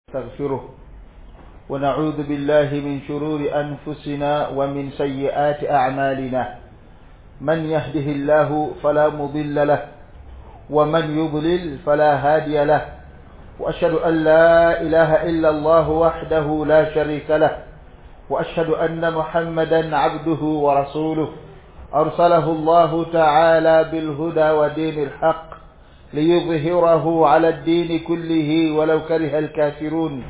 نستغفره ونعوذ بالله من شرور أنفسنا ومن سيئات أعمالنا من يهده الله فلا مضل له ومن يضلل فلا هادي له وأشهد أن لا إله إلا الله وحده لا شريك له وأشهد أن محمدا عبده ورسوله أرسله الله تعالى بالهدى ودين الحق ليظهره على الدين كله ولو كره الكافرون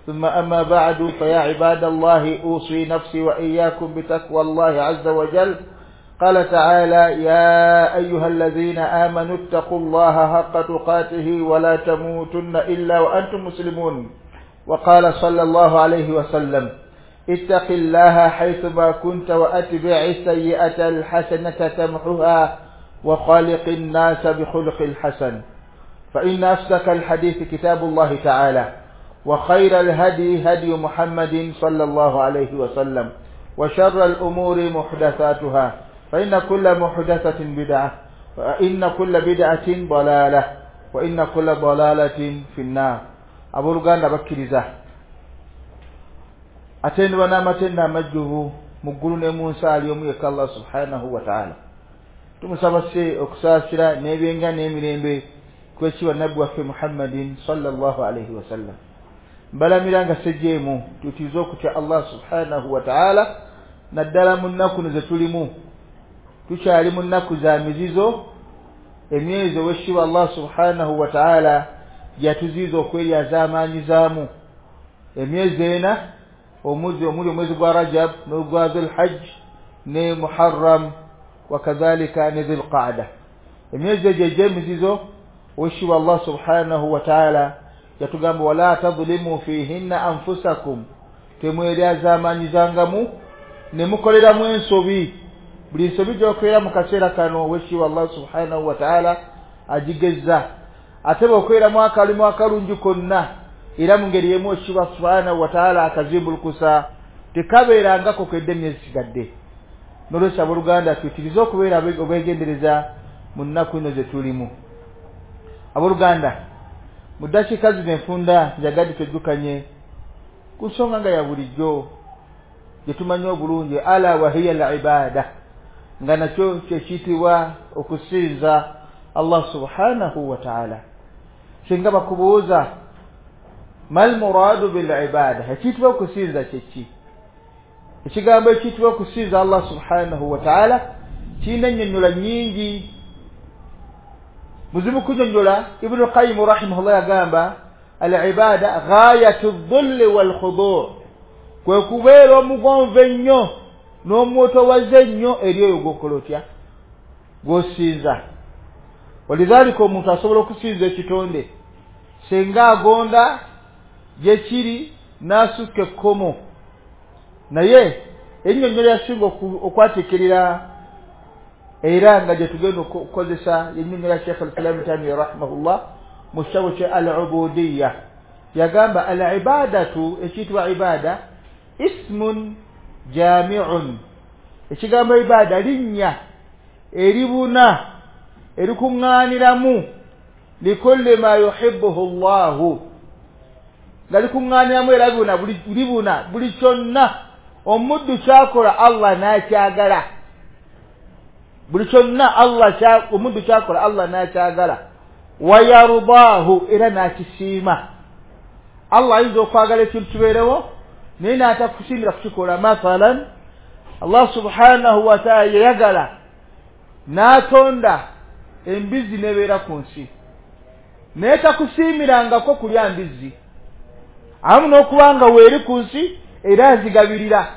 ثم أما بعد فيا عباد الله أوصي نفسي وإياكم بتقوى الله عز وجل قال تعالى يا أيها الذين آمنوا اتقوا الله حق تقاته ولا تموتن إلا وأنتم مسلمون وقال صلى الله عليه وسلم اتق الله حيثما كنت وأتبع السيئة الحسنة تمحها وخالق الناس بخلق الحسن فإن أصدق الحديث كتاب الله تعالى وخير الهدي هدي محمد صلى الله عليه وسلم وشر الأمور محدثاتها فإن كل محدثة بدعة وإن كل بدعة ضلالة وإن كل ضلالة في النار. Abooluganda bakkiriza atendwa n'amatendo amajjuvu mu ggulu ne mu nsi ali omu yekka Allah subhanahu wa ta'ala. Tumusaba se okusaasira n'ebyenga n'emirembe kwekibwa nabbi waffe Muhammadin sallallahu alaihi wasallam. Mbalamira nga sejjeemu tutize okutya Allah subhanahu wa ta'ala naddala mu nnaku ze tulimu. Tukyali mu nnaku za mizizo, emyezi owekitiibwa Allah subhanahu wa ta'ala yatuziiza okweryazaamaanyizaamu emyezi ena, omwezi omuli omwezi gwa Rajab n'ogwa Dhul-Hajj ne Muharram wakadhalika ne Dhul-Qa'da. Emyezi egyo egy'emizizo owekitiibwa Allah subhanahu wa ta'ala yatugamba wala tadhlimu fihinna anfusakum, temweryazaamaanyizangamu ne mukoleramu ensobi. Buli nsobi gy'okolera mu kaseera kano owekitiibwa Allah subhanahu wa ta'ala agigezza, ate bw'okoleramu akalimu akalungi konna era mu ngeri y'emu owekitiibwa subhanahu wa ta'ala akazimbulukusa, tekabeerangako kwedde emyezi sigadde. N'olwekyo abooluganda tuyitirize okubeera obwegendereza mu nnaku eno ze tulimu. Abooluganda, mu ddakiika zino enfunda njagadde twejjukanye ku nsonga nga ya bulijjo gye tumanyi obulungi, ala wahiya al-ibada, nga nakyo kyekiyitibwa okusinza Allah subhanahu wa ta'ala. Singa bakubuuza mal muradu bil ibada, ekiyitibwa okusinza kyeki? Ekigambo ekiyitibwa okusinza Allah subhanahu wa ta'ala kirina ennyonnyola nnyingi. Muzibu kunyonnyola. Ibn Qayyim rahimahullah yagamba al-ibada ghayatu dhulli wal khudu', kwe kubeera omugonvu ennyo n'omwotowaze ennyo eri oyo gw'okola otya, gw'osinza. Walidhalika omuntu asobola okusinza ekitonde singa agonda gye kiri n'asukka ekkomo, naye ennyonnyola yasinga okwatikirira era nga gye tugenda okukozesa ennyonnyola Sheikh al-Islam Taymiyyah rahimahullah mu kitabo kye al-Ubudiyya. Yagamba al-ibadatu, ekiyitibwa ibada, ismun jami'un, ekigambo ibada linnya eribuna erikuŋŋaaniramu likulli ma yuhibbuhu Allahu, nga likuŋŋaaniramu era libuna buli kyonna omuddu kyakola Allah n'akyagala, buli kyonna Allah omuddu kyakola Allah n'akyagala, wayarudaahu, era n'akisiima. Allah ayinza okwagala ekintu kibeerewo naye n'atakusiimira kukikola. Mathalan, Allah subhanahu wa ta'ala yayagala n'atonda embizzi n'ebeera ku nsi, naye takusiimirangako kulya mbizzi, awamu n'okuba nga weeri ku nsi era azigabirira.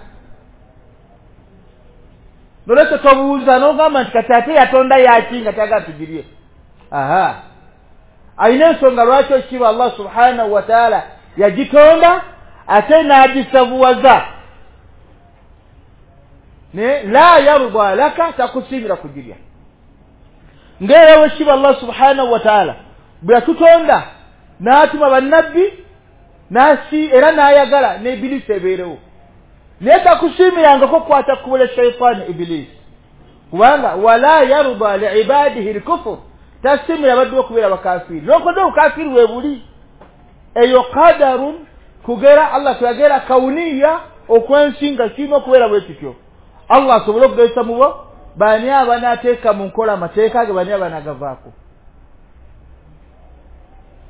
Nolwekyo tobuuza n'ogamba nti kati ate yatonda yaki nga tayagala tugirye. Aha, ayina ensonga lwaki ekitiibwa Allah subhanahu wa ta'ala yagitonda ate n'agisavuwaza, ne la yarda laka, takusiimira kugirya. Ng'era wekitiibwa Allah subhanahu wa ta'ala bwe yatutonda n'atuma bannabbi n'asi era n'ayagala ne Ibilisi ebeerewo, naye takusiimirangako kukwata kkubo lya shayitaani Ibilisi, kubanga wala yarda liibadihi lkufur, tasiimira abaddu okubeera abakafiiri. N'okodde obukafiiri we buli, eyo qadarun Kugera Allah kuyagera kauniya okwensi nga kirina okubeera bwe kityo. Allah asobole okugezesa mu bo bani abanaateeka mu nkola amateeka ge, bani abanaagavaako.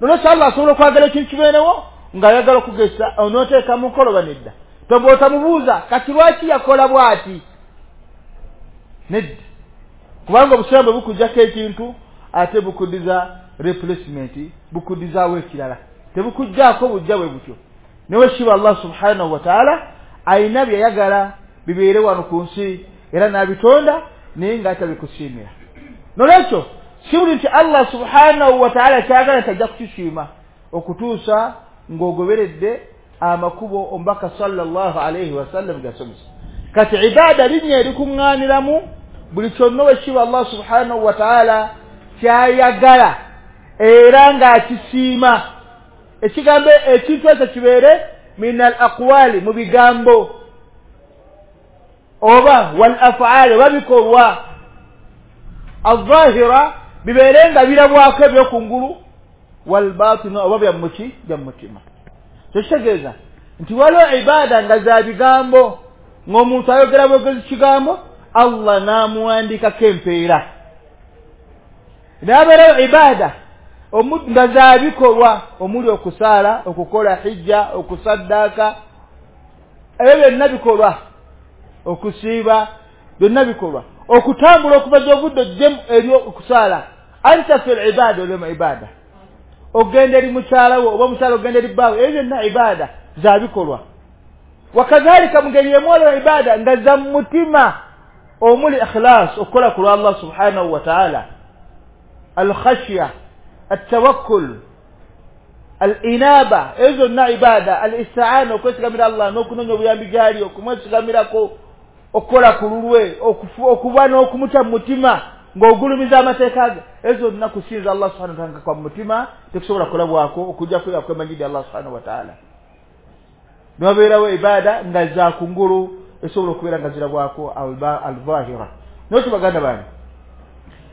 Nolwekyo Allah asobola okwagala ekintu kibeerewo ng'ayagala okugezesa onooteeka mu nkola oba nedda. Toba otamubuuza kati lwaki yakola bw'ati, nedda, kubanga obusiraamu bwe bukuggyako ekintu ate bukuddiza replacement, bukuddizaawo ekirala, tebukuggyako bujja bwe butyo. Neweshiba Allah subhanahu wa ta'ala ayina byayagala bibeere wano ku nsi era n'abitonda naye ng'atabikusiimira. Nolwekyo si buli nti Allah subhanahu wa ta'ala kyagala tajja kukisiima okutuusa ng'ogoberedde amakubo omubaka sallallahu alaihi wasallam gasomesa. Kati ibada linnya erikuŋŋaaniramu buli kyonna wekkiba Allah subhanahu wa ta'ala kyayagala era ng'akisiima. Ekigambo ekintu ekyo kibeere min al aqwali, mu bigambo, oba wal af'ali, oba bikolwa, alzahira bibeere nga birabwako ebyokungulu, wal batina, oba bya mutima. Tekitegeeza nti waliwo ibada nga za bigambo ng'omuntu ayogera bwogezi kigambo Allah n'amuwandiikako empeera. N'abeerawo ibada nga za bikolwa omuli okusaala, okukola hijja, okusaddaaka, ebyo byonna bikolwa, okusiiba byonna bikolwa, okutambula okuva gy'ovudde ojje eri okusaala, anta fil ibada, oli mu ibada, ogenda eri mukyala wo oba omukyala ogenda eri bbaawe, ebyo byonna ibada za bikolwa. Wakadhalika mu ngeri emu waliwo ibada nga za mutima omuli ikhlas, okukola ku lwa Allah subhanahu wa ta'ala, alkhashya, التوكل، الإنابة, ezo zonna ibada, al-isti'ana, okwesigamira Allah n'okunoonya obuyambi gy'ali, okumwesigamirako, okukola ku lulwe, okuba n'okumutya mu mutima ng'ogulumiza amateeka ge, ezo zonna kusinza Allah subhanahu wa ta'ala kwa mutima tekusobola kukolabwako okuggyako yakwemanyidde Allah subhanahu wa ta'ala. Niwabeerawo ibada nga za kungulu esobola okubeera nga zirabwako al-zahira. Nolwekyo baganda bange,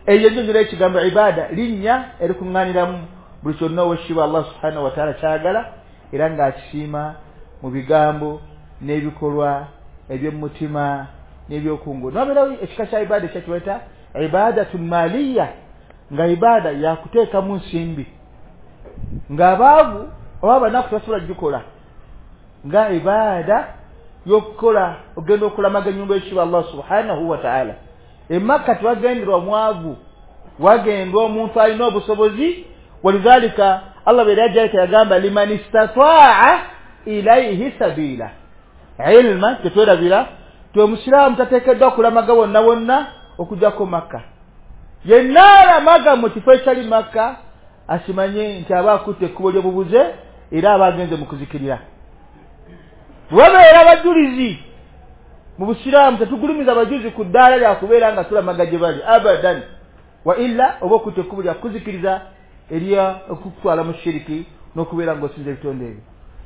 eyo ennyonyola y'ekigambo ibada linnya erikuŋŋaaniramu buli kyonna owekitiibwa Allah subhanahu wa ta'ala kyagala era ng'akisiima mu bigambo n'ebikolwa eby'omutima n'ebyokungulu. Niwabeerawo ekika kya ibada ekya kibayita ibadatun maliya, nga ibada yakuteekamu nsimbi, ng'abaavu oba abanaku tebasobola kugikola, nga ibada y'okukola ogenda okulamaga ennyumba y'ekitiibwa Allah subhanahu wa ta'ala. E Makka tewagenderwa mwavu, wagendwa omuntu alina obusobozi. Walidhalika Allah bwe yajja yagamba liman istataa ilayhi sabila. Ilma tetwerabira ti omusiraamu tateekeddwa kulamaga wonna wonna okuggyako Makka. Yenna alamaga mu kifo ekitali Makka akimanye nti aba akutte ekkubo ly'obubuze era aba agenze mu kuzikirira. Bwe babeera abajulizi mu busiraamu tetugulumiza abajulizi ku ddaala lya kubeera nga tulamaga gye bali abadan, wa illa oba okutta ekkubo lya kuzikiriza erya okukutwala mu shiriki n'okubeera ng'osinza ebitonde ebyo.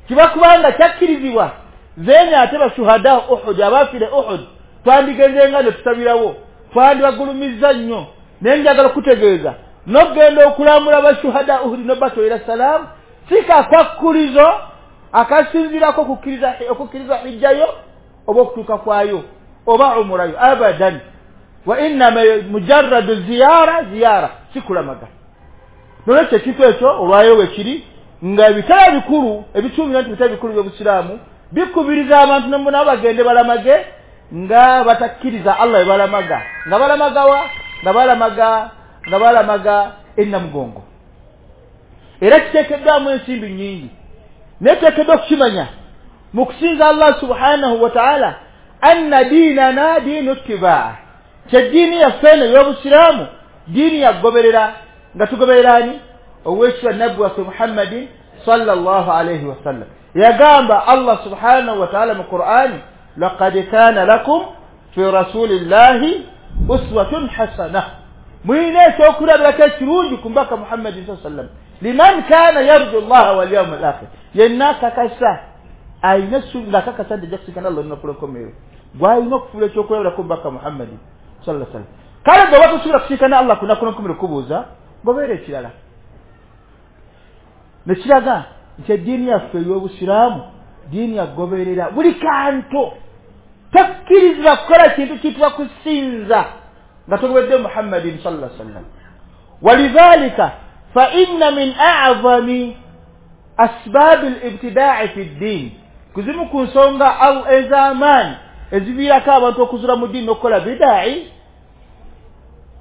Kiba kubanga kyakkirizibwa zeenya ate bashuhada Uhud, abaafire Uhud, twandigenze nga ne tusabirawo, twandibagulumizza nnyo. Naye njagala okutegeeza n'okugenda okulambula bashuhada Uhud n'obatwalira salaamu si kakwakkulizo akasinziirako okukkiriza hijjayo oba okutuuka kwayo oba umurayo abadan, wa innama mujarradu ziyara, si kulamaga. Nolwekyo ekintu ekyo olwayo we kiri nga ebitala bikulu ebituumira nti bitala bikulu by'obusiraamu bikubiriza abantu nabo bagende balamage nga batakkiriza Allah we balamaga, nga balamagawa, nga balamaga ennamugongo. Era kiteekeddwamu ensimbi nnyingi, naye tuteekeddwa okukimanya mu kusinza Allah subhanahu wa ta'ala anna diinana diinu ittibaa, kyeddiini yaffe eno ey'obusiraamu diini yakugoberera, nga tugoberera ani? Oweekitiibwa nabbi waffe Muhammadin sallallahu alaihi wasallam. Yagamba Allah subhanahu wa ta'ala mu Qur'ani, laqad kana lakum fi rasulillahi uswatun hasana, mulina ekyokulabirako ekirungi ku mbaka Muhammadin sallallahu alaihi wasallam, liman kana yarju llaha wal yawma al akhir, yenna akakasa alina essuubi ng'akakasa nti ajja kusinkana Allah olunaku lw'enkomerero, gw'alina okufuula ekyokulabirako mbaka Muhammadin sallallahu alaihi wasallam. Kale gwe oba tosobola kusinkana Allah ku lunaku lw'enkomerero kubuuza gobeera ekirala. Nekiraga Nti eddiini yaffe ey'obusiraamu ddiini yagoberera buli kantu. Tokkirizibwa kukola kintu kiyitibwa kusinza nga togobedde Muhammadin sallallahu alaihi wasallam. Walidhalika fa inna min a'zami asbab al-ibtida'i fi ad-din, kuzimu ku nsonga ez'amaanyi eziviirako abantu okuzula mu ddiini n'okukola bida'i,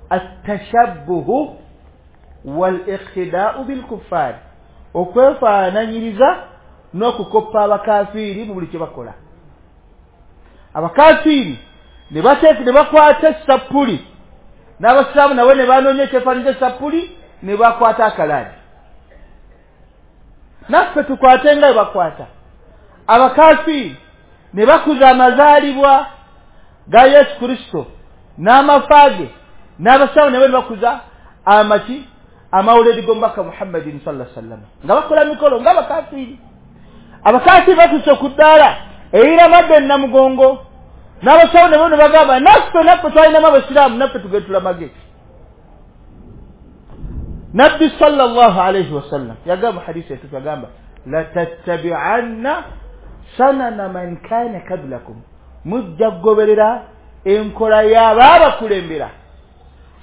at-tashabbuhu wal-iqtida'u bil-kuffar, okwefaananyiriza n'okukoppa abakafiiri mu buli kye bakola. Abakafiiri ne bakwata essapuli, n'abasiraamu nabo ne banoonya ekyefaananyi essapuli ne bakwata akalaadi. Naffe tukwate nga bwe bakwata. Abakafiiri ne bakuza amazaalibwa ga Yesu Kristo n'amafa ge, n'abasiraamu nabo ne bakuza amaki amawuledi g'omubaka Muhammadin sallallahu alaihi wasallam, nga bakola mikolo nga abakafiiri. Abakafiiri batuuse ku ddaala eyiramadde Namugongo, n'abasawo nabo ne bagamba naffe twalinamu abasiraamu, naffe tugende tulamage. Nabbi sallallahu alaihi wasallam yagamba hadisi etuufu, yagamba latattabi'anna sanana man kana qablakum, mujja kugoberera enkola y'abaabakulembera,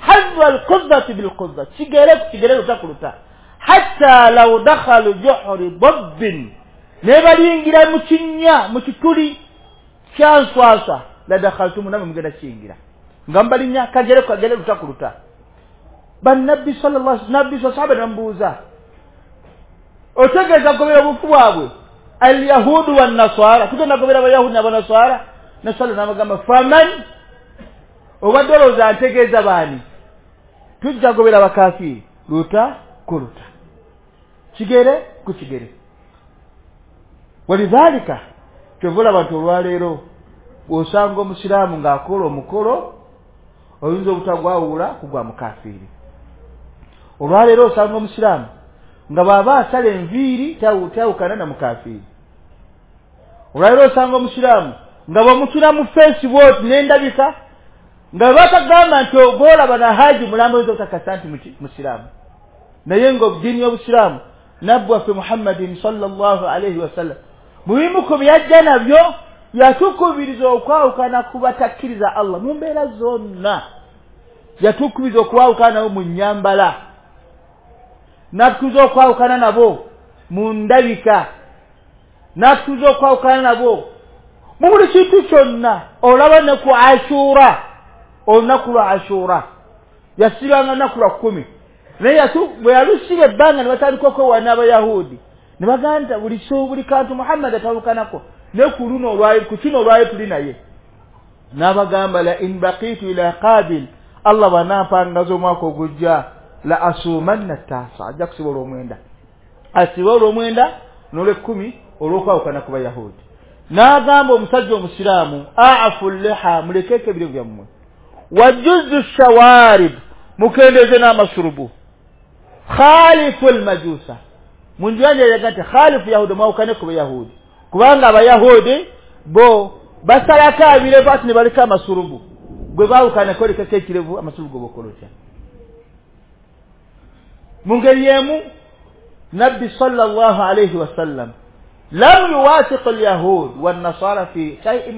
hazwa alquzzati bilquzza, kigere ku kigere, luta ku luta, hatta law dakhalu juhri dabbin, ne baliyingira mu kinnya mu kituli kya nswaswa, la dakhaltum, namwe mugenda kiyingira nga mbalinnya kagere ku kagere, luta ku luta. Bannabbi sallallahu alaihi nabbi sahaba nambuuza, otegeeza kugobera obufu bwabwe alyahudu wannaswara, tugenda kugobera abayahudi n'abanaswara? Nasala n'abagamba faman, obadde olowooza ntegeeza baani? Tujja kugobera abakafiiri luta ku luta, kigere ku kigere. Walidhalika kyova olaba nti olwaleero bw'osanga omusiraamu ng'akola omukolo oyinza obutagwawula ku gwa mukafiiri. Olwaleero osanga omusiraamu nga bw'aba asala enviiri tayawukana na mukafiiri. Olwaleero osanga omusiraamu nga bw'omutula mu feesi bw'oti n'endabika nga batagamba nti ogwolaba na haji mulambo, oyinza obutakasa nti musiraamu. Naye ng'eddiini y'obusiraamu nabbi waffe Muhammadin sallallahu alaihi wasallam mu bimu ku byajja nabyo yatukubiriza okwawukana ku batakkiriza Allah mu mbeera zonna. Yatukubiriza okwawukana nabo mu nnyambala, n'atukubiza okwawukana nabo mu ndabika, n'atukubiza okwawukana nabo mu buli kintu kyonna. Olaba ne ku Ashura, olunaku lwa Ashura yasibanga lunaku lwa 10, naye bwe yalusiba ebbanga ne batandika okwewaana Abayahudi ne bagamba buli kantu Muhammad atawukanako ne ku luno olwayo ku kino olwayo tuli naye. N'abagamba la in baqitu ila qabil, Allah bw'anampangaza omwaka ogujja, la asumanna tasa, ajja kusiba olwomwenda, asiba olwomwenda n'olwekumi olw'okwawukana ku Bayahudi. N'agamba omusajja omusiraamu a'fu liha, mulekeko ebirevu byammwe, wajuzu shawarib, mukendeeze n'amasurubu, khalifu almajusa, mu njanja yaga nti khalifu yahudi, mwawukane ku Bayahudi, kubanga Abayahudi bo basalako ebirevu ati ne baleka amasurubu, gwe baawukanako lekako ekirevu, amasurubu go bokolotya. Mu ngeri y'emu Nabbi sallallahu alaihi wasallam lam yuwathiq alyahud wannasara fi shay'in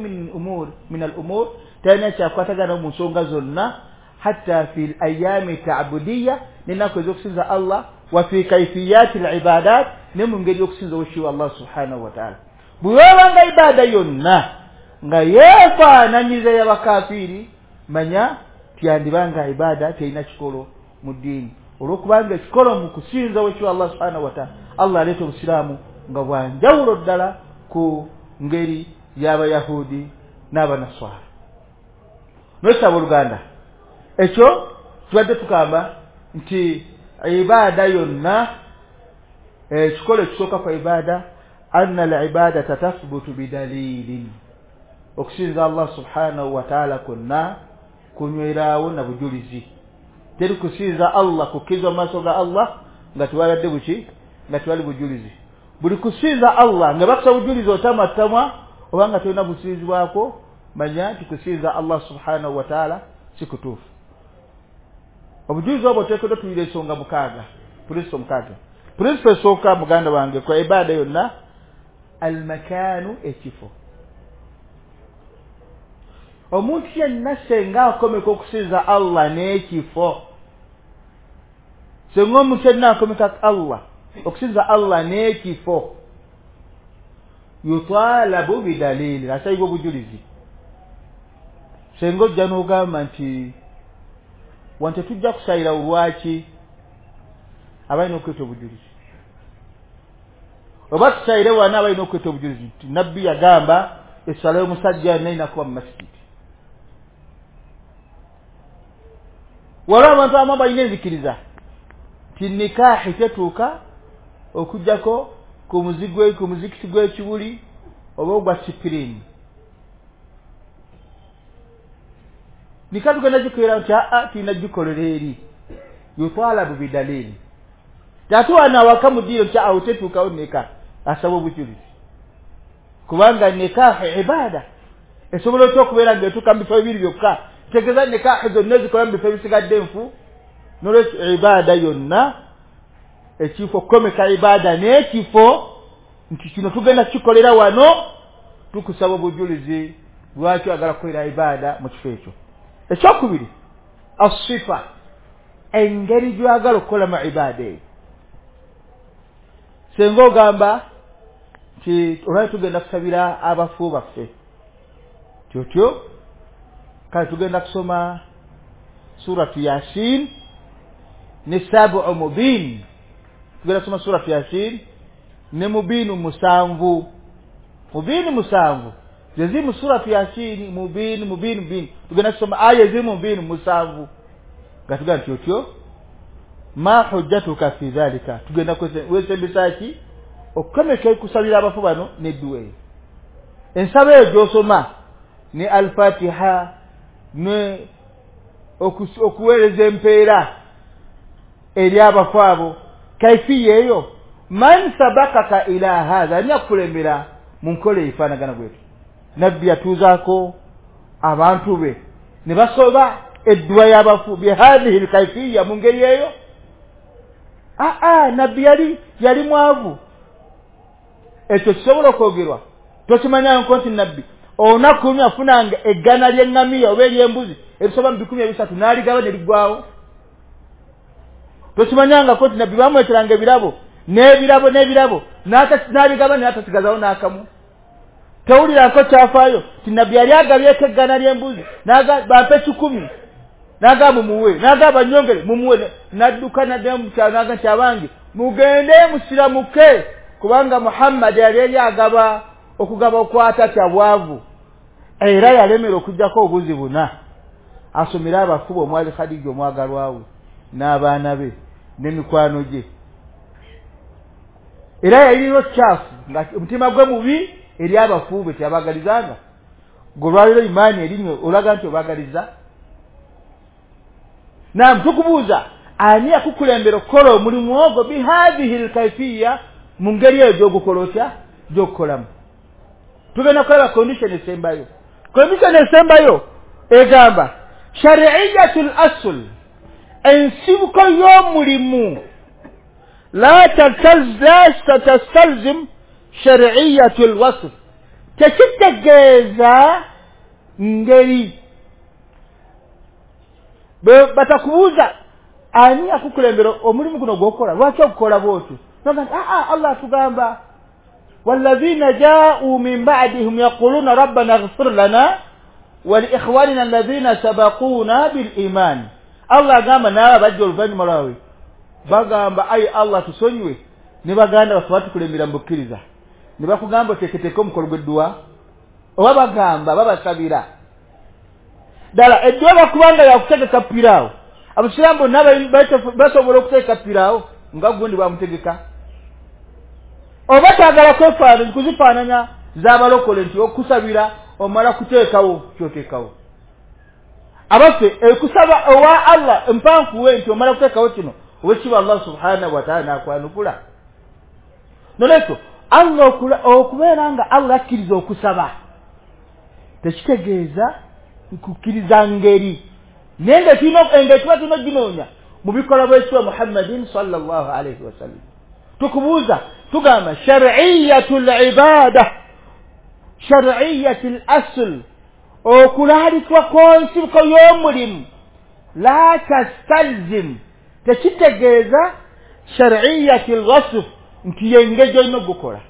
min al-umur, talina kyakwatagana mu nsonga zonna, hatta fi al-ayami ta'budiyya, n'ennaku ez'okusinza Allah, wa fi kayfiyati al-ibadat, ne mu ngeri y'okusinza owekitiibwa Allah subhanahu wa ta'ala. Bwe wabanga ibaada yonna nga yeefaananyiriza y'abakafiiri, manya tyandibanga ibaada terina kikolo mu ddiini, olw'okubanga ekikolo mu kusinza owekitiibwa Allah subhanahu wa ta'ala, Allah aleeta obusiraamu nga bwa njawulo ddala ku ngeri y'Abayahudi n'Abanaswara. N'ekyo abooluganda, ekyo tubadde tugamba nti ibaada yonna, ekikolo ekisooka kwa ibaada, anna al-ibadata tathbutu bidalilin, okusinza Allah subhanahu wa ta'ala kwonna kunyweraawo na bujulizi. Teri kusinza Allah kukkirizwa mu maaso ga Allah nga tewalabadde buki, nga tewali bujulizi. Buli kusinza Allah nga bakusa bujulizi otamwatamwa oba nga tolina businzibwako, manya nti kusinza Allah subhanahu wa ta'ala si kutuufu. Obujulizi obwo oteekeddwa tuyira ensonga mukaaga, puliso mukaaga. Principle esooka, muganda wange, kwa ibaada yonna, almakaanu, ekifo. Omuntu yenna senga akomeka okusinza Allah n'ekifo, senga omuntu yenna akomeka Allah okusinza Allah n'ekifo, yutalabu bidalili, asayibwa obujulizi. Senga ojja n'ogamba nti wante tujja kusayira, olwaki? Abalina okweta obujulizi. Oba tusayire wana, abalina okweta obujulizi nti Nabbi yagamba essala y'omusajja yonna erina kuba mu masigiti. Waliwo abantu abamu balina enzikiriza nti nikaahi tetuuka okugjako ku muzikiti gw'ekibuli oba ogwa sipirini. Nika tugenda gikolera nti aa, tulina gikolera eri. Yutalabu bidalili. Ate wano awaka mu ddiiro nti awo tetuukawo nika, asaba obujulizi, kubanga nikaahi ibaada esobola otya okubeera ng'etuuka mu bifo bibiri byokka? Tegeeza nikaahi zonna ezikola mu bifo ebisigadde enfu. Nolwekyo ibaada yonna, ekifo, okukomeka ibaada n'ekifo nti kino tugenda kikolera wano, tukusaba obujulizi lwaki oyagala kukolera ibaada mu kifo ekyo. Ekyokubiri, asifa, engeri gy'oyagala okukolamu ibaada eyo. Senga ogamba nti olwali tugenda kusabira abafu baffe, tyotyo kale tugenda kusoma Suratu Yasin ne Sabu Mubin, tugenda kusoma Suratu Yasin ne Mubinu 7, Mubinu 7 zeziri mu Suratu Yasini. Mubin, Mubin, Mubin, tugenda kusoma aya eziri mu Mubinu 7. Nga tugenda nti otyo, ma hujjatuka fi dhalika? Tugenda wesembesa ki okukomeka kusabira abafu bano nedduwa eyo? Ensaba eyo gy'osoma ne Alfatiha ne okuweereza empeera eri abafu abo, kaifiya eyo, man sabakaka ila hadha? Ani akukulembera mu nkola efaanagana bwetu? Nabbi yatuuzaako abantu be ne basoba edduwa y'abafu bihadhihi lkaifiya, mu ngeri eyo? Aa, Nabbi yali mwavu. Ekyo kisobola okwogerwa? Tokimanyanko nti Nabbi olunaku lumu afunanga eggana ly'eŋŋamiya oba ery'embuzi ebisoba mu 300 n'aligaba ne liggwawo? Tokimanyangako nti Nabbi bamweteranga ebirabo n'ebirabo n'ebirabo n'abigaba n'atasigazawo n'akamu? Tewulirako kyafaayo nti Nabbi yali agabyeko eggana ly'embuzi, bampe 100, n'agamba mumuwe, n'agamba nyongere mumuwe, n'adduka n'addayo mu kyalo n'agamba nti abange mugende musiramuke, kubanga Muhammad yali eri agaba okugaba okwatatya bwavu. Era yalemera okugjako obuzi buna asomere abafu omwali Khadija omwagalwawe n'abaana be n'emikwano gye. Era yalina kyafu nga omutima gwe mubi eri abafu be, teyabagalizanga. Golwaliro imaani erinyo olaga nti obagaliza. Nam, tukubuuza, ani akukulembera okukola omulimu ogwo bihadhihi lkaifiya, mu ngeri eyo gy'ogukola otya, gy'okukolamu? Tugenda kulaba condition esembayo. Condition esembayo egamba shari'iyatu l-asl, ensibuko y'omulimu, la tastalzim shari'iyatu l-wasf, tekitegeeza ngeri. Batakubuuza ani akukulembera omulimu guno gw'okola, lwaki ogukola bwotyo? Aa, Allah atugamba walladhina ja'u min ba'dihim yaquluna rabbana ighfir lana wa liikhwanina alladhina sabaquna bil iman. Allah agamba n'abo bajja oluvannyuma lwawe bagamba, ayi Allah, tusonyiwe ne baganda baffe batukulembera mu bukkiriza. Ne bakugamba oteeketeeke omukolo gw'edduwa, oba bagamba babasabira ddala edduwa? Bakubanga yakutegeka piraawo, abasiraamu bonna basobola okutegeka piraawo nga gundi bwamutegeka? Oba kyagala kwefaananya kuzifaananya z'abalokole nti okusabira omala kuteekawo kyoteekawo? Abaffe, ekusaba owa Allah mpankuwe nti omala kuteekawo kino, owekiba Allah subhanahu wataala n'akwanukula. Nolwekyo Allah okubeera nga Allah akkiriza okusaba tekitegeeza kukkiriza ngeri, naye nga engeri tuba tulina oginoonya mu bikolwa bw'ekitiibwa Muhammadin sallallahu alaihi wasallam. Tukubuuza tugamba shar'iyatul ibada, shar'iyatul asl, okulaalikwa kw'ensibuko y'omulimu la tastalzim, tekitegeeza shar'iyatul wasf nti yengeri gy'olina okugukola.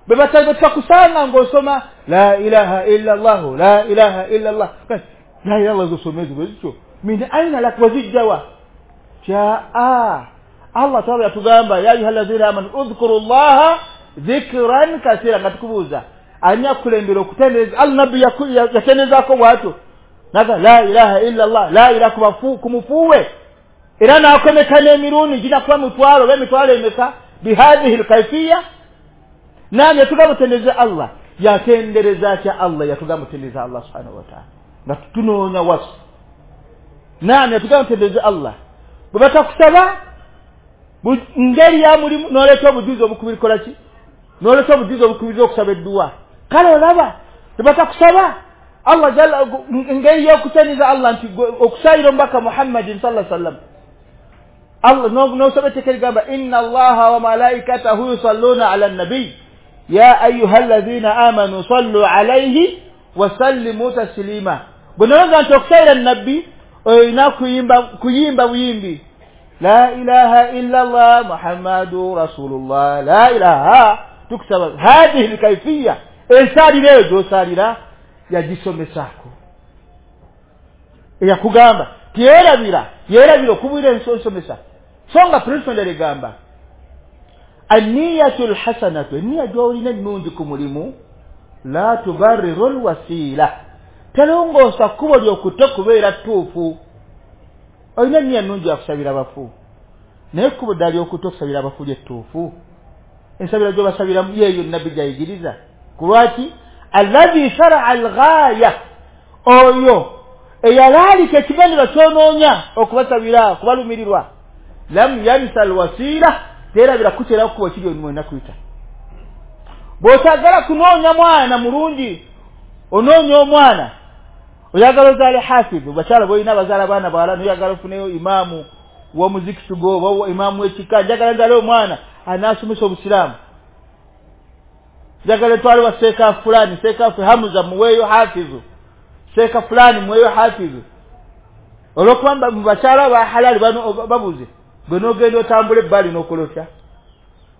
Bwe batakusanga ng'osoma la ilaha illa llahu, la ilaha illa llah, la ilaha illallah zosoma ezo bwe zityo, min aina lak, wazijjawa? Kyaa Allah taala yatugamba ya ayuha alladhina amanu udhkuru llaha dhikran kathira, nga tukubuuza ani akulembera okutendereza Allah? Nabbi yatenderezaako bw'atyo naga la ilaha illa llah, la ilaha kumufuwe, era n'akomeka n'emirundi ginakuba mitwalo oba emitwalo emeka bihadhihi lkaifiya. Nani yatugamba otendereza Allah? Yatendereza atya Allah? Yatugamba otendereza Allah subhanahu wataala nga tunoonya wasu. Nani yatugamba otendereza Allah? Bwe batakusaba ngeri ya mulimu n'oleeta obujuzi obukubirikola ki, n'oleeta obujuzi obukubiriza okusaba edduwa. Kale olaba tebatakusaba Allah jalla ngeri y'okutendereza Allah nti okusayira omubaka Muhammadin sallallahu alaihi wasallam, Allah n'osaba etteeka ligamba inna allaha wa malaikatahu yusalluna ala nabiy ya ayuha alladhina amanu sallu alayhi wa sallimu taslima. Bwe nolowooza nti okusayira nabbi olina kuyimba buyimbi la ilaha illa allah muhammadu rasulullah, la ilaha, tukusaba hadhihi lkaifiya, ensaalira eyo gy'osaalira yagisomesaako, eyakugamba tiyerabira, yerabira okubwira ensomesa. So nga principle endala egamba anniyatu lhasanatu, enniya gy'olina ennungi ku mulimu la tubarriru lwasiila, telongoosa kkubo ly'okutte kubeera ttuufu. Olina enniya nnungi yakusabira abafu, naye ekkubo ddala ly'okutte okusabira abafu lyettuufu, ensabira gy'obasabiramu yeeyo nabbi gy'ayigiriza. Ku lwaki? Alladhi sharaa alghaya, oyo eyalaalika ekigendererwa ky'onoonya okubasabira, okubalumirirwa, lam yansa alwasiila, teerabira kuteerawo kkubo kiri olina kuyita. Bw'otagala kunoonya mwana mulungi, onoonya omwana oyagala ozaale hafidhu, bakyala b'olina bazaala baana bawala, noyagala ofuneyo imaamu w'omuzikiti gwo oba imaamu w'ekika, njagala nzaale omwana anaasomesa obusiraamu, njagala etwale wa seeka fulani, seeka Hamuza muweeyo hafidhu, seeka fulani muweeyo hafidhu. Olw'okuba mu bakyala ba halali bano babuze, gwe n'ogenda otambula ebbali n'okola otya?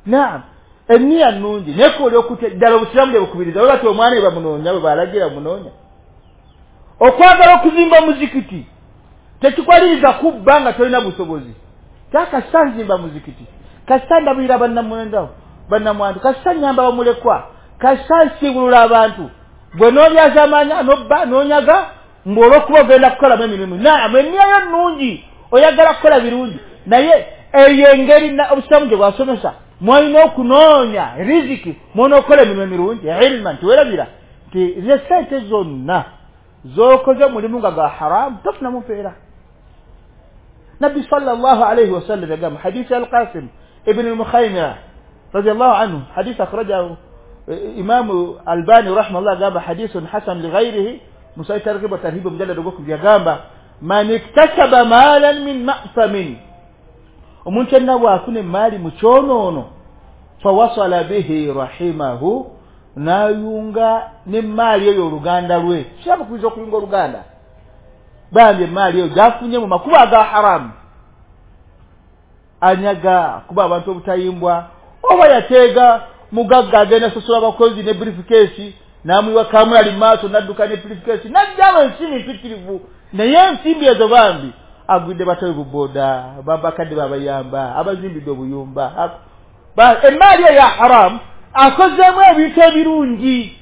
Naam, enniya nnungi naye kooli okutya ddala obusiraamu bwe bukubiriza, bwe bati omwana we bamunoonya, bwe balagira munoonya. Okwagala okuzimba omuzikiti tekikwaliriza kubba nga tolina busobozi. Kasita nzimba muzikiti, kasita ndabirira bannamwendawo bannamwandu, kasita nnyamba bamulekwa, kasita nsiibulula abantu, gwe n'olyazaamaanya n'obba n'onyaga ng'olw'okuba ogenda kukolamu emirimu. Naam, enniya yo nnungi, oyagala kukola birungi, naye eyo engeri obusiraamu gye bwasomesa mwalina okunoonya riziki, mwolina okukola emirimu emirungi ilma, nti weerabira nti ze sente zonna z'okoze omulimu nga gwa haramu tofunamu mpeera. Nabbi sallallahu alayhi wasallam yagamba hadisi Al-Qasim ibn al-Mukhaymira radiyallahu anhu, hadisi akhrajahu Imamu Albani rahimahullah, gamba hadisun hasan lighairihi, musai targhib wa tarhib mujallad ogwokubiri, yagamba man iktasaba malan min ma'thamin, omuntu yenna bw'afuna emaali mu kyonoono, fawasala bihi rahimahu, n'ayunga n'emaali eyo oluganda lwe. Kiraba kuyinza okuyunga oluganda, bambi emaali eyo gy'afunye mu makubo aga haramu, anyaga kuba abantu obutayimbwa, oba yateega mugagga agenda sasula abakozi ne briefcase, n'amuyiwa kamulali mu maaso n'adduka ne briefcase, n'ajjawo ensimbi mpitirivu, naye ensimbi ezo bambi agwidde batawe buboda, babakadde babayamba, abazimbidde obuyumba. Emaali eyo ya haramu akozeemu ebintu ebirungi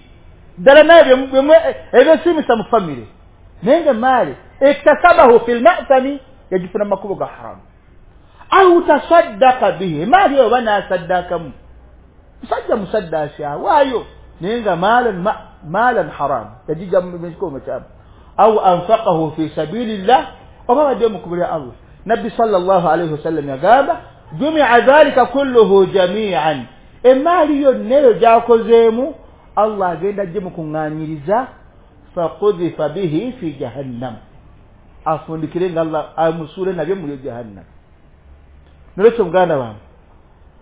ddala naye ebyesiimisa mu famire, naye nga emaali iktasabahu fi lmathami, yagifuna mu makubo ga haramu. Au tasaddaka bihi, emaali eyo oba n'asaddakamu, musajja musaddaasi awaayo, naye nga maalan haramu, yagijja mu kikubo makyamu. Au anfaqahu fi sabilillah, oba badde mu kkubo lya Allah. Nabbi sallallahu alayhi wasallam yagamba jumia dhalika kulluhu jamian, emaali yonna eyo gy'akozeemu Allah agenda ajje mukuŋŋaanyiriza, faqudhifa bihi fi jahannam, afundikire nga Allah amusuule nabyo mu jahannam. Nolwekyo muganda wange,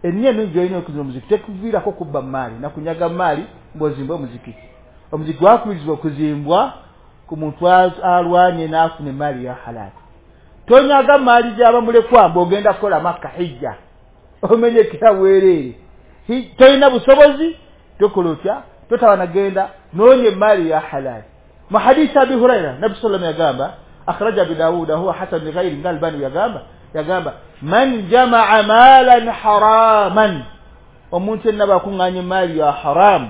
Ennyo ennungi gy'olina okuzimba omuzikiti tekuviirako kubba maali nakunyaga maali ng'ozimba omuzikiti. Omuzikiti gwakubirizibwa okuzimbwa ku muntu alwanye n'afuna emaali ya halaali. Tonyaga maali gy'abamulekwa mbw'ogenda kukola Makka hijja, omenyekera bwereere, tolina busobozi, tokola otya, totawana genda noonya emaali ya halaali. Mu hadisi Abi Huraira Nabbi sallam yagamba, akhraja Abi Dawuda huwa hasan li ghairi, nga Albani yagamba man jamaa maalan haraman, omuntu yenna bw'akuŋŋaanya emaali ya haramu,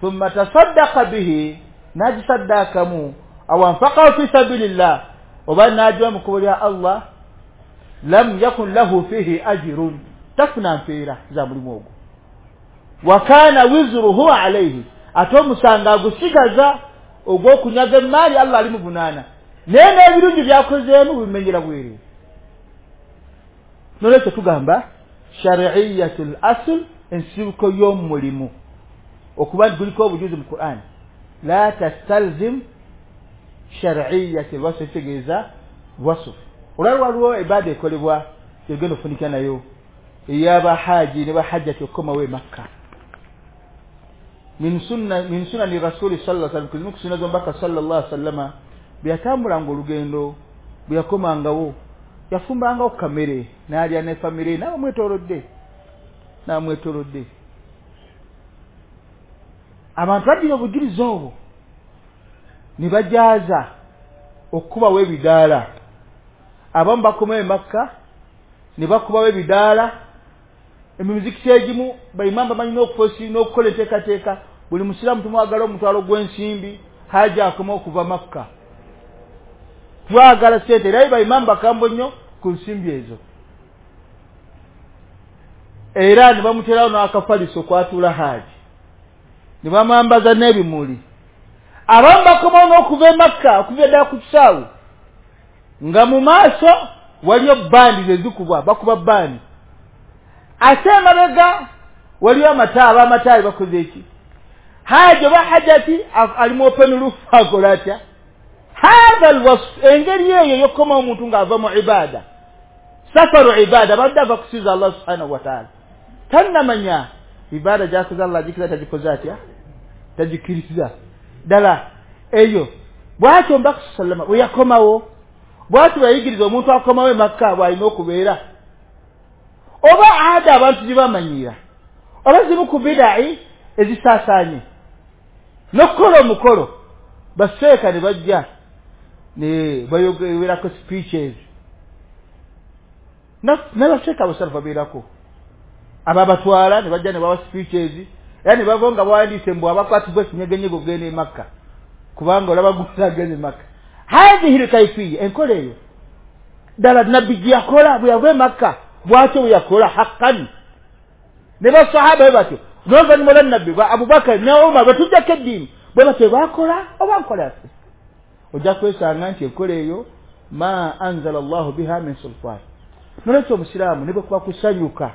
thumma tasaddaqa bihi, n'agisaddaakamu, aw anfaqahu fi sabilillah, oba n'agiwa mu kkubo lya Allah, lam yakun lahu fihi ajrun, tafuna mpeera za mulimu ogwo. Wa kana wizruhu alayhi, ate omusango agusigaza ogw'okunyaga emaali Allah alimuvunaana, naye n'ebirungi by'akozeemu bimenyera bwereere. Nolwekyo tugamba shari'iyatul asl, ensibuko y'omulimu okuba nti guliko obujuzi mu Qur'an, la tastalzim shari'iyatul wasf, ekitegeeza wasf. Olwali waliwo ibaada ekolebwa egenda okufunika nayo ey'abahaji ne bahajjati okukomawo e Makka. Min sunani rasuli sallallahu alaihi wasallam, ku sunna z'omubaka sallallahu alaihi wasallama, bwe yatambulanga olugendo, bwe yakomangawo, yafumbangawo kamere n'alya ne famire n'abamwetoolodde. Abantu baddira obujulizi obwo ne bajaaza okukubawo ebidaala. Abamu bakomawo e Makka ne bakubawo ebidaala. Emizikiti egimu baimaamu bamanyi n'okufosi n'okukola enteekateeka, buli musiraamu tumwagala omutwalo gw'ensimbi, haja akoma okuva Makka, twagala ssente. Era baimaamu bakambwe nnyo ku nsimbi ezo, era ne bamuterawo n'akafaliso kwatuula haji, ne bamwambaza n'ebimuli. Abamu bakomawo n'okuva e Makka okuva eddala ku kisaawe, nga mu maaso waliyo bandi zezikubwa, bakuba bandi, ate emabega waliyo amata, ab'amataali bakoze eki, haji oba hajati ali mu open roof akola atya. Hadha alwasf, engeri eyo ey'okukomawo omuntu ng'ava mu ibaada, safaru ibaada, abadde ava kusinza Allah subhanahu wa ta'ala, tannamanya ibaada gy'akoze Allah agikiriza tagikoze atya, tagikiriza ddala eyo. Bw'atyo Omubaka sallama bwe yakomawo, bw'atyo bwe yayigiriza omuntu akomawo e Makka bw'alina okubeera. Oba ada abantu gye bamanyiira, oba zimu ku bidai ezisaasaanye n'okukola omukolo, baseeka ne bajja ne bayogerako speeches, n'abaseeka abasalafu babeerako ababatwala ne bajja ne bawa speeches, era ne bava nga bawandiise mbu abakwatibwa ekinyegenyege okugenda e Makka, kubanga olaba gusa agenda e Makka. Hadhihi lkaifiya, enkola eyo ddala Nabbi gye yakola bwe yava e Makka, bw'atyo bwe yakola haqqan, ne basahaba bwe batyo, n'oluvannyuma lwa Nabbi ba Abubakari ne Umar batujjako eddiini bwe batyo baakola, oba nkola yaffe. Ojja kwesanga nti enkola eyo ma anzala Allahu biha min sultan. Nolwekyo omusiraamu ne bwe kuba kusanyuka,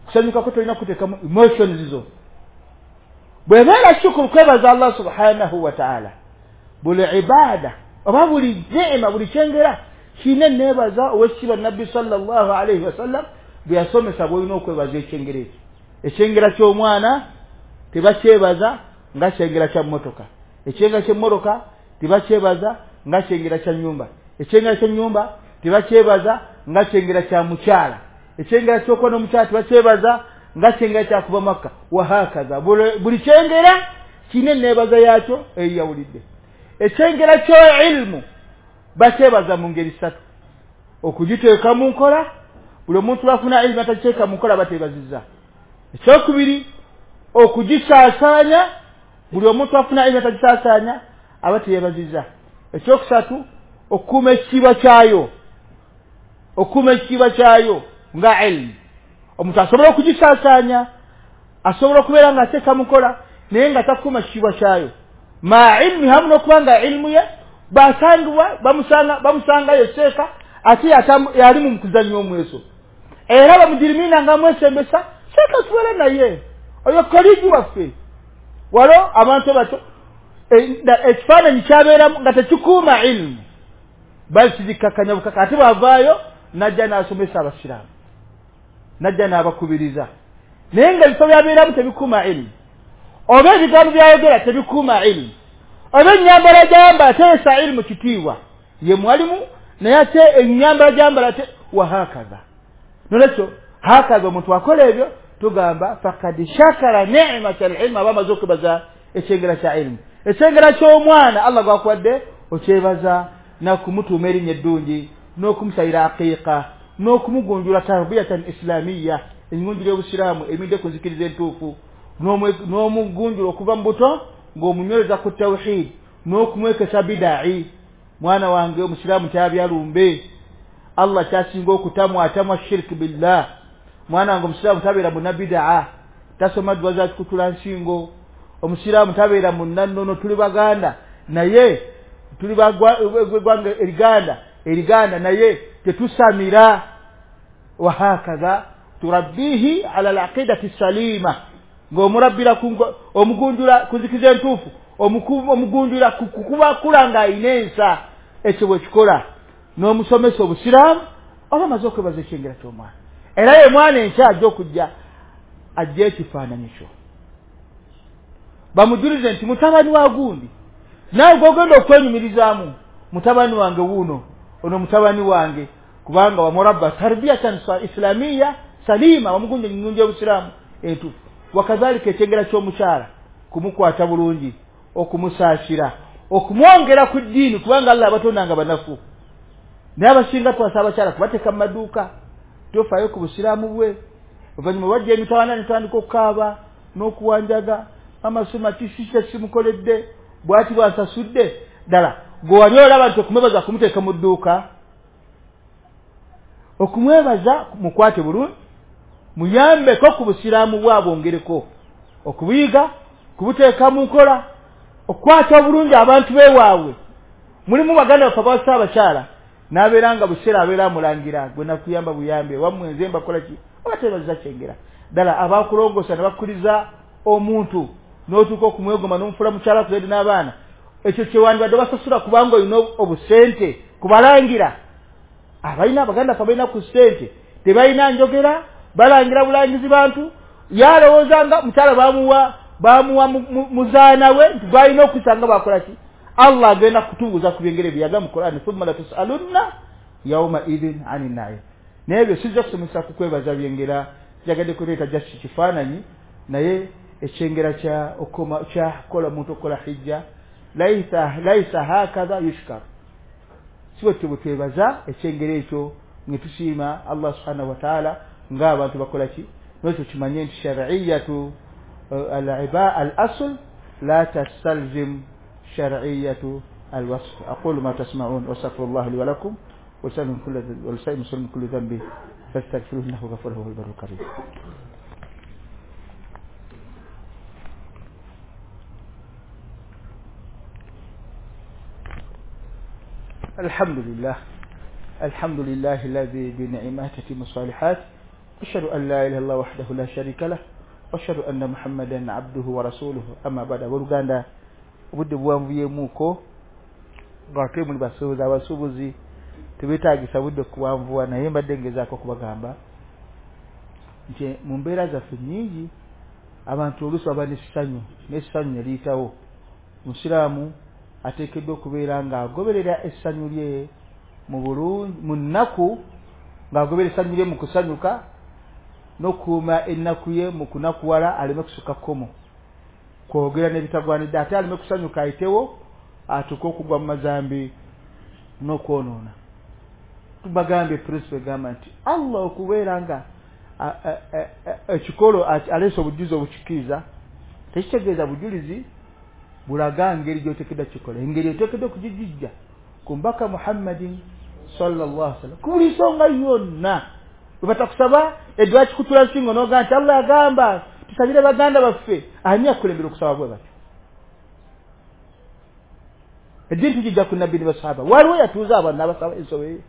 kusanyukako tolina kuteekamu emotions zo. Bw'ebeera shukuru, kwebaza Allah subhanahu wa ta'ala, buli ibaada oba buli neema, buli kyengera kirina enneebaza ow'ekitiibwa Nabbi sallallahu alaihi wasallam bwe yasomesa bw'olina okwebaza ekyengera ekyo. Ekyengera ky'omwana tebakyebaza nga kyengera kya mmotoka, ekyengera ky'emmotoka tebakyebaza nga kyengera kya nnyumba, ekyengera ky'ennyumba tebakyebaza nga kyengera kya mukyala, ekyengera ky'okuba n'omukyala tebakyebaza nga kyengera kya kuva Makka, wahakaza. Buli kyengera kirina enneebaza yaakyo eyawulidde. Ekyengera kyo ilmu bakyebaza mu ngeri ssatu: okugiteeka mu nkola, buli omuntu lwafuna ilmu atagiteeka mu nkola bateebazizza. Ekyokubiri, okugisaasaanya, buli omuntu afuna ilmu atagisaasaanya aba teyeebazizza. Ekyokusatu, okukuuma ekitiibwa kyayo, okukuuma ekitiibwa kyayo nga ilmu. Omuntu asobola okugisaasaanya, asobola okubeera ng'ateeka mu nkola, naye nga takuuma kitiibwa kyayo. Ma ilmi, hamu n'okuba nga ilmu ye basangibwa bamusangayo seeka, ate yali mu kuzannya omweso, era bamujirimina nga amwesembesa, seeka tubeere naye oyo koligi waffe. Walo abantu batyo ekifaananyi kyabeeramu nga tekikuuma ilmu, bali kigikkakkanya bukaka, ate bw'avaayo n'ajja n'asomesa abasiraamu. Najja n'abakubiriza, naye nga ebifo byabeeramu tebikuuma ilimu, oba ebigambo byayogera tebikuuma ilimu, oba ennyambala gyambala teesa ilimu kitiibwa ye mwalimu, naye ate ennyambala gyambala te wahakaza. Nolwekyo hakaza omuntu akola ebyo tugamba fakad shakara ni'mata al-ilm, aba amaze okwebaza ekyengera kya ilimu. Ekyengera ky'omwana Allah gwakuwadde okyebaza nakumutuuma erinnya eddungi n'okumusalira aqiiqa n'okumugunjula tarbiyatan islamiyya, engunjula y'obusiraamu emidde ku nzikiriza entuufu, n'omugunjula okuva mu buto ng'omunyweza ku tawhid n'okumwekesa bidai. Mwana wange omusiraamu kyabyalumbe, Allah kyasinga okutamwa atamwa shirk billah. Mwana wange omusiraamu tabeera munnabidaa, tasoma dduwa za kikutula nsingo. Omusiraamu tabeera munnannono, tuli baganda naye tuli bagwanga eriganda naye tetusamira. Wahakaza turabbihi ala alaqidati salima, ng'omurabbira omugunjula ku nzikiza entuufu, omugunjula kukuba kula ng'ayina ensa. Ekyo bwe kikola n'omusomesa obusiraamu oba amaze okwebaza ekyengera ky'omwana, era ye mwana enkya ajja okujja ajja ekifaananyi kyo bamujulize nti mutabani wa gundi, naawe gw'ogenda okwenyumirizaamu mutabani wange wuuno, ono mutabani wange, kubanga wamurabba tarbiyatan islamiyya salima, wamugunja engunja y'obusiraamu entuufu. Wakadhalika ekyengera ky'omukyala kumukwata bulungi, okumusaasira, okumwongera ku ddiini, kubanga Allah abatondanga banafu. Naye abasinga twasa abakyala kubateeka mu maduuka, tofaayo ku busiraamu bwe. Oluvannyuma bajja emitawaana ne tutandika okukaaba n'okuwanjaga, amasoma kisisa simukoledde, bw'ati bw'asasudde. Ddala gwe wali olaba nti okumwebaza kumuteeka mu dduuka, okumwebaza mukwate bulungi, muyambeko ku busiraamu bwabwongereko okubuyiga, kubuteeka mu nkola, okukwata obulungi abantu beewaabwe. Mulimu baganda baffe abawasa abakyala n'abeera nga buseera abeera amulangira, gwe nakuyamba buyambe wammwe nze mbakola ki, oba tebaziza kyengera. Ddala abakulongosa ne bakkiriza omuntu n'otuuka okumwegoma n'omufuula mukyala kuzadde n'abaana, ekyo kyewandibadde basasula kubanga olina obusente kubalangira. Abalina abaganda ffe abalina ku ssente tebalina njogera, balangira bulangizi bantu. Yalowooza nga mukyala bamuwa muzaana we nti gwalina okusanga bakola ki. Allah agenda kutubuuza ku byengere bye yagamba mu Qur'an, thumma latusalunna yawma idhin ani na'im. Naye ebyo sijja kusomesa ku kwebaza byengera, njagadde kuleeta just kifaananyi, naye ekyengera kya okoma kya kola omuntu okukola hijja laisa hakadha yushkar, si bwe bwe twebaza ekyengera ekyo ne tusiima Allah subhanahu wa ta'ala ng'abantu bakola ki. N'ekyo kimanye nti shar'iyyatu al-asl la tastalzim shar'iyyatu al-wasf. Aqulu ma tasma'un wa astaghfirullah li wa lakum wa lisa'il muslimin kulli dhanbi fastaghfiruhu innahu ghafurur huwal barrul karim. الحمد لله، الحمد لله الذي بنعمته تتم الصالحات، أشهد أن لا إله إلا الله وحده لا شريك له، وأشهد أن محمدا عبده ورسوله. أما بعد، abooluganda, obudde buwanvuyemuuko ng'ate muli basuubuzi, abasuubuzi tebeetaagisa budde kuwanvuwa, naye mbadde ngezaako okubagamba nti mu mbeera zaffe nnyingi abantu oluusi baba n'essanyu, n'essanyu ne liyitawo. Omusiraamu ateekeddwa okubeera ng'agoberera essanyu lye mu bulungi, mu nnaku ng'agoberera essanyu lye mu kusanyuka, n'okukuuma ennaku ye mu kunakuwala aleme kusukka kkomo, kwogera n'ebitagwanidde, ate aleme kusanyuka ayitewo atuuke okugwa mu mazambi n'okwonoona. Tubagambye principle egamba nti Allah okubeera nga ekikolo aleese obujulizi obukikkiriza tekitegeeza bujulizi bulaga ngeri gy'oteekeddwa kikola, engeri oteekeddwa okugijja ku mbaka Muhammadin sallallahu alaihi wasallam ku buli nsonga yonna. Bwe batakusaba eddwa kikutula nsingo n'ogamba nti Allah agamba tusabire baganda baffe, ani akulembera okusaba bwe batyo? Eddiini tugijja ku nabbi ne basahaba, waliwo yatuuza abantu n'abasaba ensobe.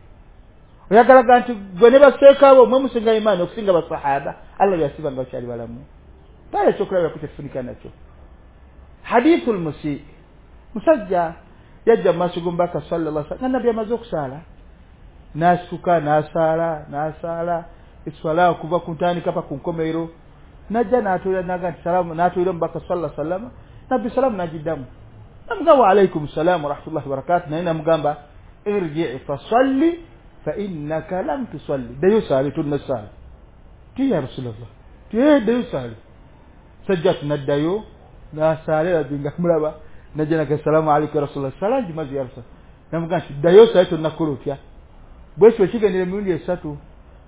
Oyagalaga nti gwe ne baseekaabo mwe musinga imaani okusinga basahaba, Allah yasiba nga bakyali balamu. Pale ekyokulabirako kyetufunika nakyo hadithul musii, musajja yajja mu maaso g'omubaka sallallahu alaihi wasallam nga nabbi amaze okusaala, n'asituka n'asaala n'asaala Eswala okuva ku ntandika pa ku nkomerero. Najja n'atuula naga nti salaamu, n'atuula omubaka sallallahu alaihi wasallam, nabbi salaamu n'agiddamu, namugamba wa alaikum salaamu warahmatullahi wabarakatuh, naye namugamba irji fasalli fa innaka lam tusalli, ddayo saale tonnasaala. Ti ya Rasulallah, ti ddayo saale. Sajja tunaddayo n'asaala, nabbi nga mulaba najja naga salaamu alaikum ya Rasulallah, salaamu gimaze ya Rasulallah. Namugamba nti ddayo saale tonnakola otya. Bwekyo kigendera emirundi esatu,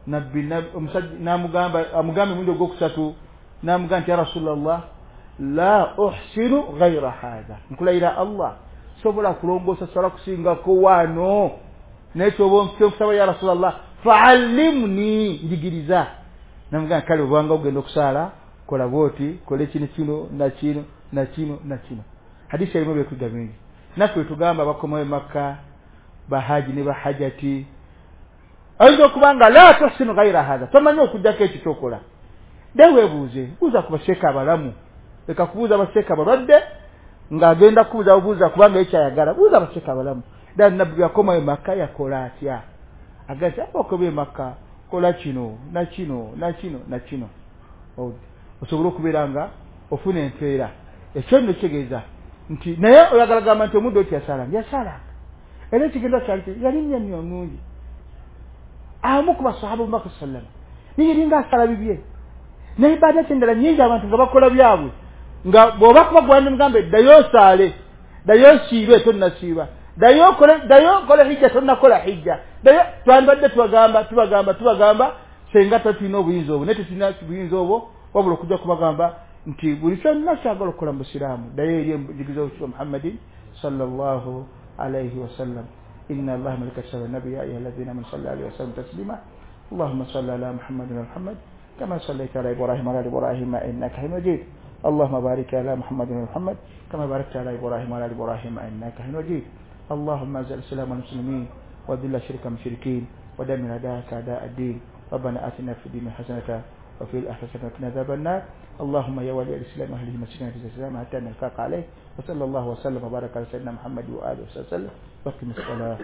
nabbi omusajja n'amugamba, amugamba emirundi ogwokusatu, n'amugamba nti ya Rasulallah la uhsinu ghaira hadha, nkulayira Allah sobola kulongoosa swala kusingako wano, naye kyoba ya Rasulallah faallimni, njigiriza. Namugamba kale obanga ogenda okusaala kola bwoti, kola kino kino na kino na kino na kino. Hadisi erimu ebyokuyiga bingi. Naffe tugamba abakomawo e Makka, bahaji ne bahajati, ayinza okuba nga la tuhsinu ghaira hadha, tomanyi okugjako ekyo kyokola. Dde weebuuze, buuza ku baseeka abalamu, leka kubuuza abaseeka abalwadde ng'agenda kubuuza bubuuza kubanga ekyayagala. Buuza abaseeka abalamu, ddala nabbi yakomawo e Makka yakola atya? Agamba nti abakomawo e Makka kola kino na kino na kino na kino, osobole okubeera nga ofuna empeera. Ekyo nno kitegeeza nti naye oyagala gamba nti omuddu oti yasaalanga, yasaalanga, era ekigenda kyali yali nnyo nnungi. Amu ku basahaba omubaka sallama naye yalinga asala bibye, naye ibaada endala nnyingi abantu nga bakola byabwe, nga bw'oba kuba gwandi mugambe ddayo osaale, ddayo osiibe tonnasiiba, ddayo okole hijja tonnakola hijja, ddayo. Twandibadde tubagamba tubagamba tubagamba senga tetulina obuyinza obwo, naye tetulina buyinza obwo, wabula okujja kubagamba nti buli kyonna kyagala okukola mu busiraamu ddayo eri enjigiriza y'Omukisa Muhammadin sallallahu alaihi wasallam. Inna Allaha malaikatahu nabi ya ayyuhalladhina amanu sallu alaihi wa sallimu taslima. Allahumma salli ala Muhammadin wa Muhammad kama sallaita ala Ibrahim wa ala ali Ibrahim innaka Hamidum Majid. Allahumma barik ala Muhammadin wa Muhammad kama barakta ala Ibrahim wa ala ali Ibrahim innaka Hamidum Majid. Allahumma azil al-islam wal muslimin wa dhilla shirka al-mushrikin wa dammir a'da'aka a'da' ad-din. Rabbana atina fid dunya hasanatan wa fil akhirati hasanatan wa qina adhaban nar. اللهم يا ولي الإسلام وأهله مسكنا في الإسلام حتى نلقاك عليه، وصلى الله وسلم وبارك على سيدنا محمد وآله وسلم. وقم الصلاة.